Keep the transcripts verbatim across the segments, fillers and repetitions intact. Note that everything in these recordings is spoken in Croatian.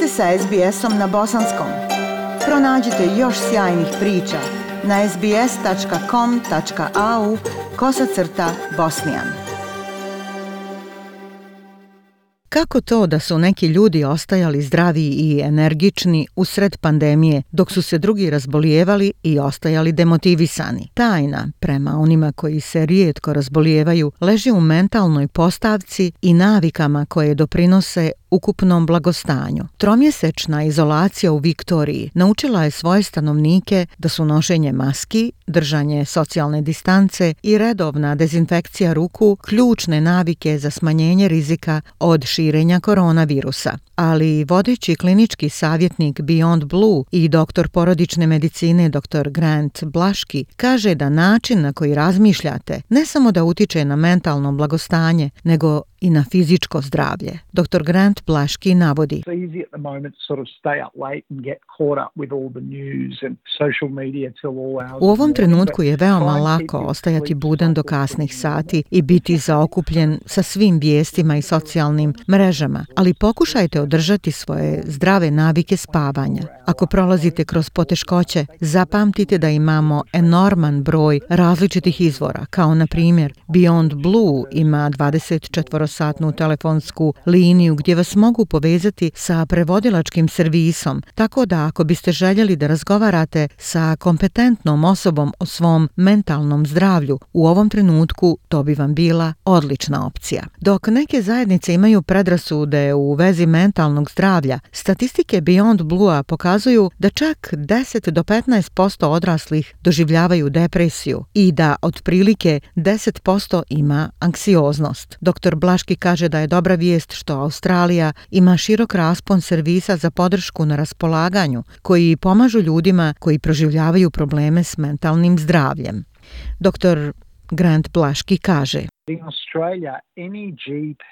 ste sa es be esom na bosanskom. Pronađite još sjajnih priča na es be es tačka com tačka a u kosacrta bosnijan. Kako to da su neki ljudi ostajali zdravi i energični usred pandemije, dok su se drugi razbolijevali i ostajali demotivisani? Tajna, prema onima koji se rijetko razbolijevaju, leži u mentalnoj postavci i navikama koje doprinose ukupnom blagostanju. Tromjesečna izolacija u Viktoriji naučila je svoje stanovnike da su nošenje maski, držanje socijalne distance i redovna dezinfekcija ruku ključne navike za smanjenje rizika od širenja koronavirusa. Ali vodeći klinički savjetnik Beyond Blue i doktor porodične medicine doktor Grant Blaški kaže da način na koji razmišljate ne samo da utiče na mentalno blagostanje, nego i na fizičko zdravlje. doktor Grant Blaški navodi: U ovom trenutku je veoma lako ostajati budan do kasnih sati i biti zaokupljen sa svim vijestima i socijalnim mrežama, ali pokušajte održati svoje zdrave navike spavanja. Ako prolazite kroz poteškoće, zapamtite da imamo enorman broj različitih izvora, kao na primjer Beyond Blue ima dvadeset četiri satnu telefonsku liniju gdje vas mogu povezati sa prevodilačkim servisom, tako da ako biste željeli da razgovarate sa kompetentnom osobom o svom mentalnom zdravlju, u ovom trenutku to bi vam bila odlična opcija. Dok neke zajednice imaju predrasude u vezi mentalnog zdravlja, statistike Beyond Blue-a pokazuju da čak deset do petnaest posto odraslih doživljavaju depresiju i da otprilike deset posto ima anksioznost. doktor Blaški kaže da je dobra vijest što Australija ima širok raspon servisa za podršku na raspolaganju koji pomažu ljudima koji proživljavaju probleme s mentalnim zdravljem. doktor Grant Blaški kaže: In Australia, any G P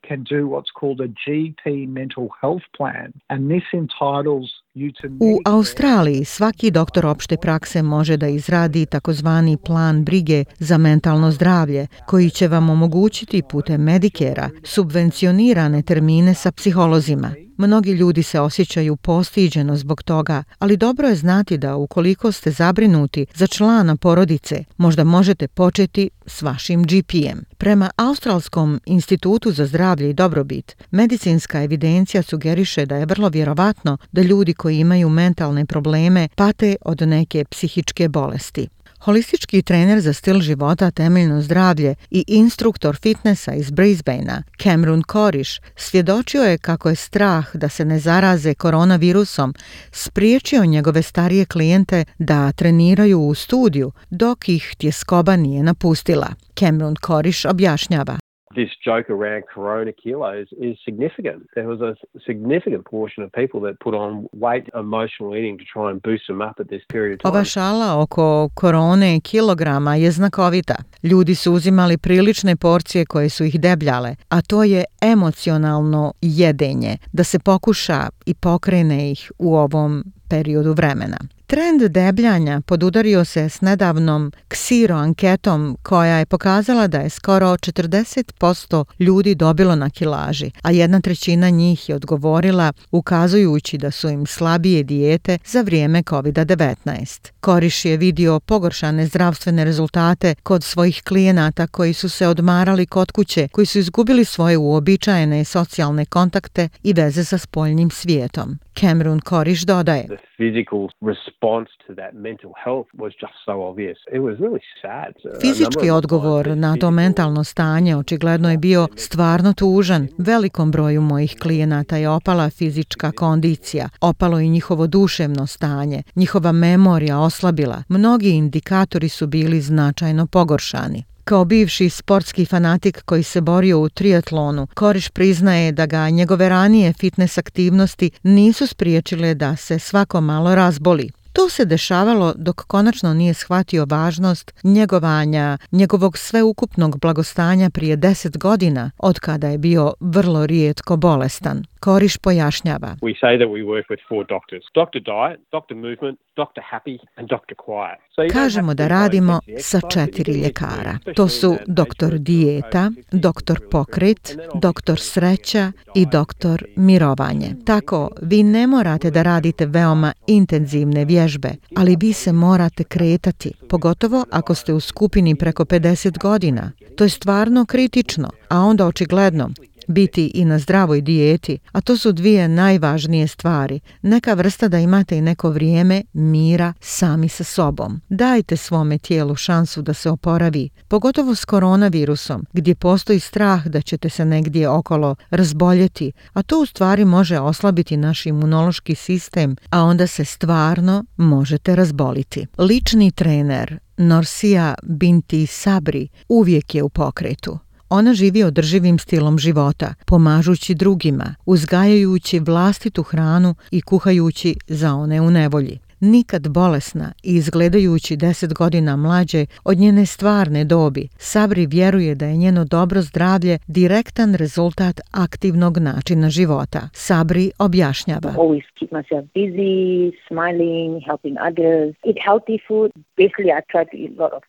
can do what's called a G P mental health plan, and this entitles you to... U Australiji svaki doktor opšte prakse može da izradi takozvani plan brige za mentalno zdravlje, koji će vam omogućiti putem Medicare-a subvencionirane termine sa psiholozima. Mnogi ljudi se osjećaju postiđeno zbog toga, ali dobro je znati da ukoliko ste zabrinuti za člana porodice, možda možete početi s vašim G P-em. Prema Australskom institutu za zdravlje i dobrobit, medicinska evidencija sugeriše da je vrlo vjerovatno da ljudi koji imaju mentalne probleme pate od neke psihičke bolesti. Holistički trener za stil života, temeljno zdravlje i instruktor fitnessa iz Brisbanea, Cameron Koriš, svjedočio je kako je strah da se ne zaraze koronavirusom spriječio njegove starije klijente da treniraju u studiju dok ih tjeskoba nije napustila. Cameron Koriš objašnjava: This joke around corona kilos is significant. There was a significant portion of people that put on weight, emotional eating to try and boost them up at this period of time. Ova šala oko korone kilograma je znakovita. Ljudi su uzimali prilične porcije koje su ih debljale, a to je emocionalno jedenje, da se pokuša i pokrene ih u ovom periodu vremena. Trend debljanja podudario se s nedavnom Ksiro anketom koja je pokazala da je skoro četrdeset posto ljudi dobilo na kilaži, a jedna trećina njih je odgovorila ukazujući da su im slabije dijete za vrijeme kovid devetnaest. Koriš je vidio pogoršane zdravstvene rezultate kod svojih klijenata koji su se odmarali kod kuće, koji su izgubili svoje uobičajene socijalne kontakte i veze sa spoljnim svijetom. Cameron Koriš dodaje: The physical response to that mental health was just so obvious. It was really sad. Fizički odgovor na to mentalno stanje očigledno je bio stvarno tužan. Velikom broju mojih klijenata je opala fizička kondicija, opalo i njihovo duševno stanje, njihova memorija oslabila. Mnogi indikatori su bili značajno pogoršani. Kao bivši sportski fanatik koji se borio u triatlonu, Koriš priznaje da ga njegove ranije fitness aktivnosti nisu spriječile da se svako malo razboli. To se dešavalo dok konačno nije shvatio važnost njegovanja njegovog sveukupnog blagostanja prije deset godina, od kada je bio vrlo rijetko bolestan. Koriš pojašnjava. We say that we work with four doctors. Doctor Diet, Doctor Movement, Doctor Happy and Doctor Quiet. Kažemo da radimo sa četiri ljekara. To su doktor Dijeta, doktor Pokret, doktor Sreća i doktor Mirovanje. Tako, vi ne morate da radite veoma intenzivne vježbe, ali vi se morate kretati, pogotovo ako ste u skupini preko pedeset godina. To je stvarno kritično, a onda očigledno biti i na zdravoj dijeti, a to su dvije najvažnije stvari. Neka vrsta da imate i neko vrijeme mira sami sa sobom. Dajte svome tijelu šansu da se oporavi, pogotovo s koronavirusom, gdje postoji strah da ćete se negdje okolo razboljeti, a to u stvari može oslabiti naš imunološki sistem, a onda se stvarno možete razboliti. Lični trener Norsija Binti Sabri uvijek je u pokretu. Ona živi održivim stilom života, pomažući drugima, uzgajajući vlastitu hranu i kuhajući za one u nevolji. Nikad bolesna i izgledajući deset godina mlađe od njene stvarne dobi, Sabri vjeruje da je njeno dobro zdravlje direktan rezultat aktivnog načina života. Sabri objašnjava. Always keep myself busy, smiling, helping others, eat healthy food. Basically, I try to eat a lot of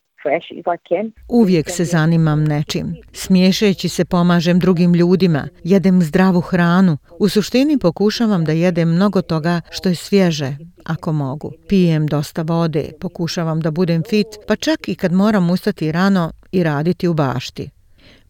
Uvijek se zanimam nečim. Smiješeći se pomažem drugim ljudima, jedem zdravu hranu. U suštini pokušavam da jedem mnogo toga što je svježe, ako mogu. Pijem dosta vode, pokušavam da budem fit, pa čak i kad moram ustati rano i raditi u bašti.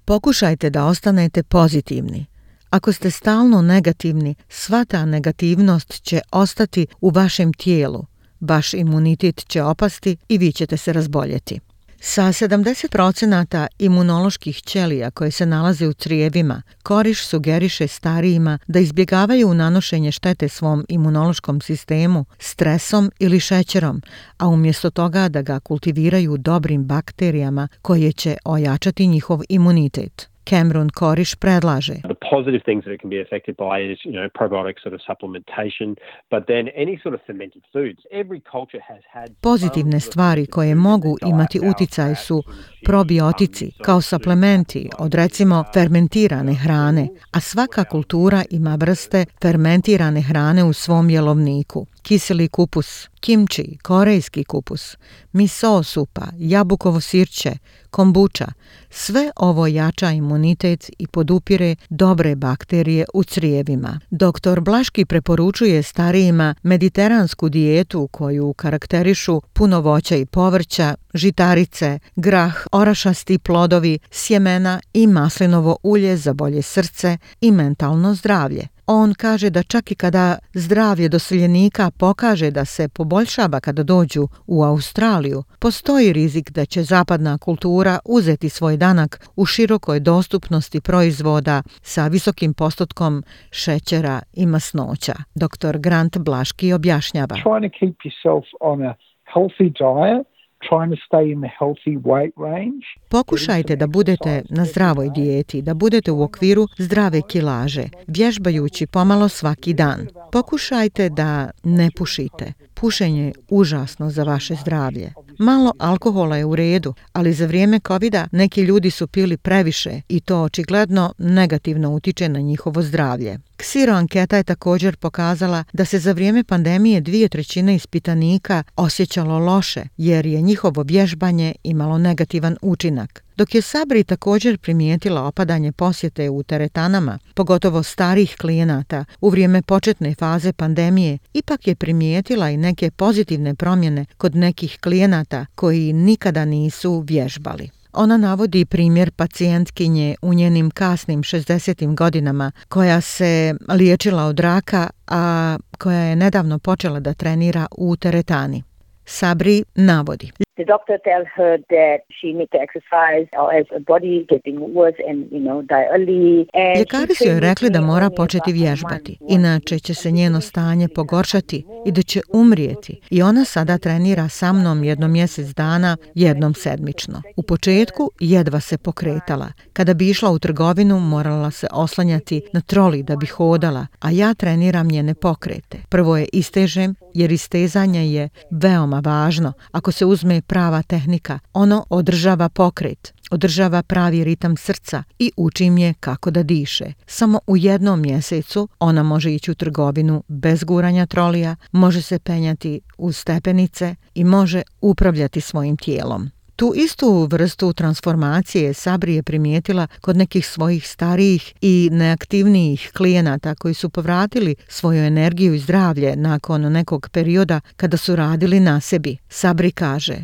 Pokušajte da ostanete pozitivni. Ako ste stalno negativni, sva ta negativnost će ostati u vašem tijelu. Vaš imunitet će opasti i vi ćete se razboljeti. Sa sedamdeset procenata imunoloških ćelija koje se nalaze u crijevima, Koriš sugeriše starijima da izbjegavaju nanošenje štete svom imunološkom sistemu stresom ili šećerom, a umjesto toga da ga kultiviraju dobrim bakterijama koje će ojačati njihov imunitet. Cameron Koriš predlaže. The positive things that it can be affected by is, you know, probiotic sort of supplementation, but then any sort of fermented foods. Every culture has had Pozitivne stvari koje mogu imati uticaj su probiotici kao suplementi od recimo fermentirane hrane, a svaka kultura ima vrste fermentirane hrane u svom jelovniku. Kiseli kupus, kimči, korejski kupus, miso supa, jabukovo sirće, kombuča, sve ovo jača imunitet i podupire dobre bakterije u crijevima. Doktor Blaški preporučuje starijima mediteransku dijetu koju karakterišu puno voća i povrća, žitarice, grah, orašasti plodovi, sjemena i maslinovo ulje za bolje srce i mentalno zdravlje. On kaže da čak i kada zdravlje doseljenika pokaže da se poboljšava kada dođu u Australiju, postoji rizik da će zapadna kultura uzeti svoj danak u širokoj dostupnosti proizvoda sa visokim postotkom šećera i masnoća. doktor Grant Blaški objašnjava. Trying to keep yourself on a healthy diet. Trying to stay in the healthy weight range. Pokušajte da budete na zdravoj dijeti, da budete u okviru zdrave kilaže, vježbajući pomalo svaki dan. Pokušajte da ne pušite. Pušenje je užasno za vaše zdravlje. Malo alkohola je u redu, ali za vrijeme covida neki ljudi su pili previše i to očigledno negativno utiče na njihovo zdravlje. Ksiro anketa je također pokazala da se za vrijeme pandemije dvije trećine ispitanika osjećalo loše, jer je njihovo vježbanje imalo negativan učinak. Dok je Sabri također primijetila opadanje posjete u teretanama, pogotovo starih klijenata, u vrijeme početne faze pandemije, ipak je primijetila i neke pozitivne promjene kod nekih klijenata koji nikada nisu vježbali. Ona navodi primjer pacijentkinje u njenim kasnim šezdesetim godinama koja se liječila od raka, a koja je nedavno počela da trenira u teretani. Sabri navodi. the doctor tells her that she needs to exercise or as her body getting worse and, you know, die early. And Ljekari su joj rekli da mora početi vježbati, inače će se njeno stanje pogoršati i da će umrijeti. I ona sada trenira sa mnom jednom mjesec dana, jednom sedmično. U početku jedva se pokretala. Kada bi išla u trgovinu, morala se oslanjati na troli da bi hodala, a ja treniram njene pokrete. Prvo je istežem, jer istezanje je veoma važno. Ako se uzme prava tehnika, ono održava pokret, održava pravi ritam srca i učim je kako da diše. Samo u jednom mjesecu ona može ići u trgovinu bez guranja trolija, može se penjati uz stepenice i može upravljati svojim tijelom. Tu istu vrstu transformacije Sabri je primijetila kod nekih svojih starijih i neaktivnijih klijenata koji su povratili svoju energiju i zdravlje nakon nekog perioda kada su radili na sebi. Sabri kaže: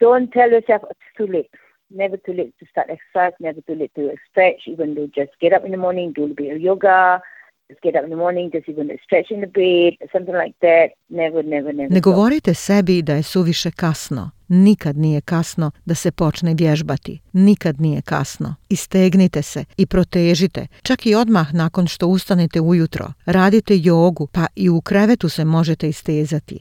Don't tell yourself it's too late. Never too late to start exercise, never too late to stretch, even though just get up in the morning, do a bit of yoga. Just get up in the morning, just even stretch in the bed, something like that. Never, never, never. Ne govorite sebi da je suviše kasno. Nikad nije kasno da se počne vježbati. Nikad nije kasno. Istegnite se i protežite. Čak i odmah nakon što ustanete ujutro. Radite jogu, pa i u krevetu se možete istezati.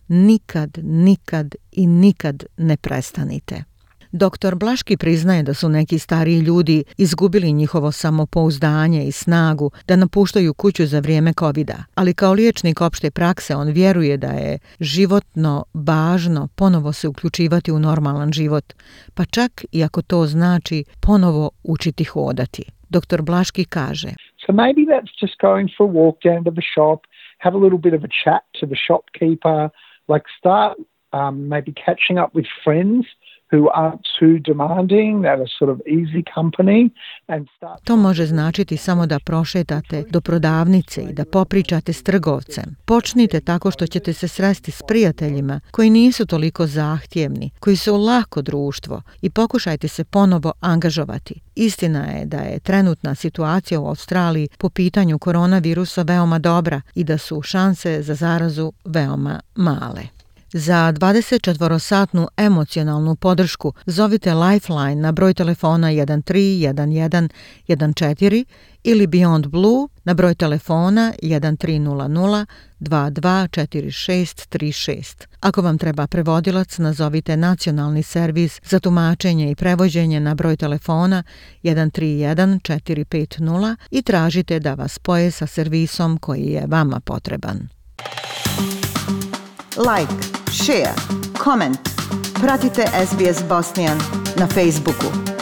Nikad, nikad i nikad ne prestanite. Doktor Blaški priznaje da su neki stariji ljudi izgubili njihovo samopouzdanje i snagu da napuštaju kuću za vrijeme covida, ali kao liječnik opšte prakse on vjeruje da je životno važno ponovo se uključivati u normalan život, pa čak i ako to znači ponovo učiti hodati. Doktor Blaški kaže: So maybe that's just going for a walk down to the shop, have a little bit of a chat to the shopkeeper, like start um, maybe catching up with friends who aren't too demanding, that are sort of easy company, and start... To može značiti samo da prošetate do prodavnice i da popričate s trgovcem. Počnite tako što ćete se sresti s prijateljima koji nisu toliko zahtjevni, koji su lako društvo i pokušajte se ponovo angažovati. Istina je da je trenutna situacija u Australiji po pitanju koronavirusa veoma dobra i da su šanse za zarazu veoma male. Za dvadesetčetvorosatnu emocionalnu podršku zovite Lifeline na broj telefona jedan tri jedan jedan jedan četiri ili Beyond Blue na broj telefona jedan tri nula nula dva dva četiri šest tri šest. Ako vam treba prevodilac, nazovite nacionalni servis za tumačenje i prevođenje na broj telefona jedan tri jedan četiri pet nula i tražite da vas spoje sa servisom koji je vama potreban. Like, share, comment. Pratite S B S Bosnian na Facebooku.